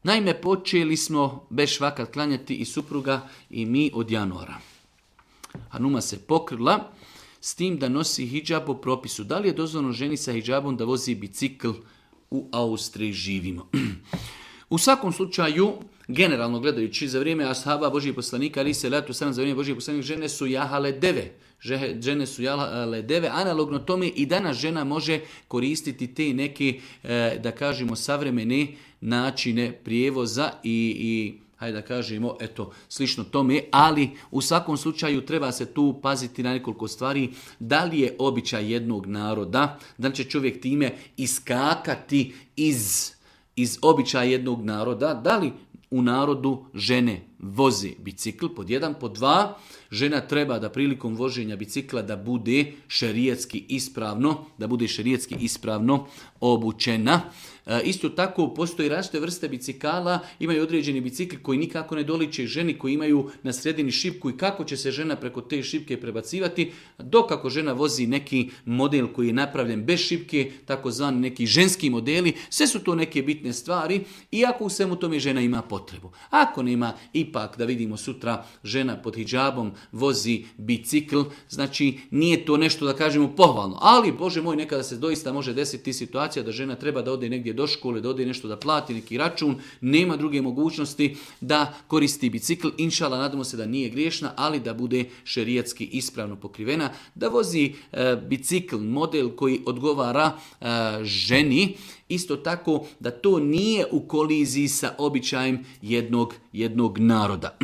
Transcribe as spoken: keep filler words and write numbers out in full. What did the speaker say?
Naime, počeli smo bez švakat klanjati i supruga i mi od januara. Hanuma se pokrila s tim da nosi hidžab po propisu. Da li je dozvoljeno ženi sa hidžabom da vozi bicikl? U Austriji živimo. U svakom slučaju, generalno gledajući, za vrijeme ashaba Božijeg poslanika, ali se letu sam za vrijeme Božijeg poslanika, žene su jahale deve. Žene su jahale deve. Analogno tome i danas žena može koristiti te neke, da kažemo, savremene načine prijevoza i, i hajde da kažemo, eto, slično tome, ali u svakom slučaju treba se tu paziti na nekoliko stvari. Da li je običaj jednog naroda, da li će čovjek time iskakati iz, iz običaja jednog naroda, da li u narodu žene voze bicikl, pod jedan, pod dva, žena treba da prilikom voženja bicikla da bude šerijatski ispravno, da bude šerijatski ispravno obučena. E, isto tako postoji različite vrste bicikala, imaju određeni bicikli koji nikako ne doliče ženi, koji imaju na sredini šipku i kako će se žena preko te šipke prebacivati, dok ako žena vozi neki model koji je napravljen bez šipke, takozvani neki ženski modeli, sve su to neke bitne stvari, iako u svemu tome žena ima potrebu. Ako nema, ipak da vidimo sutra žena pod hidžabom vozi bicikl, znači nije to nešto da kažemo pohvalno, ali Bože moj, nekada se doista može desiti situacija da žena treba da ode negdje do škole, da ode nešto da plati neki račun, nema druge mogućnosti da koristi bicikl, inšala nadamo se da nije griješna, ali da bude šerijatski ispravno pokrivena, da vozi e, bicikl, model koji odgovara e, ženi, isto tako da to nije u koliziji sa običajem jednog, jednog naroda.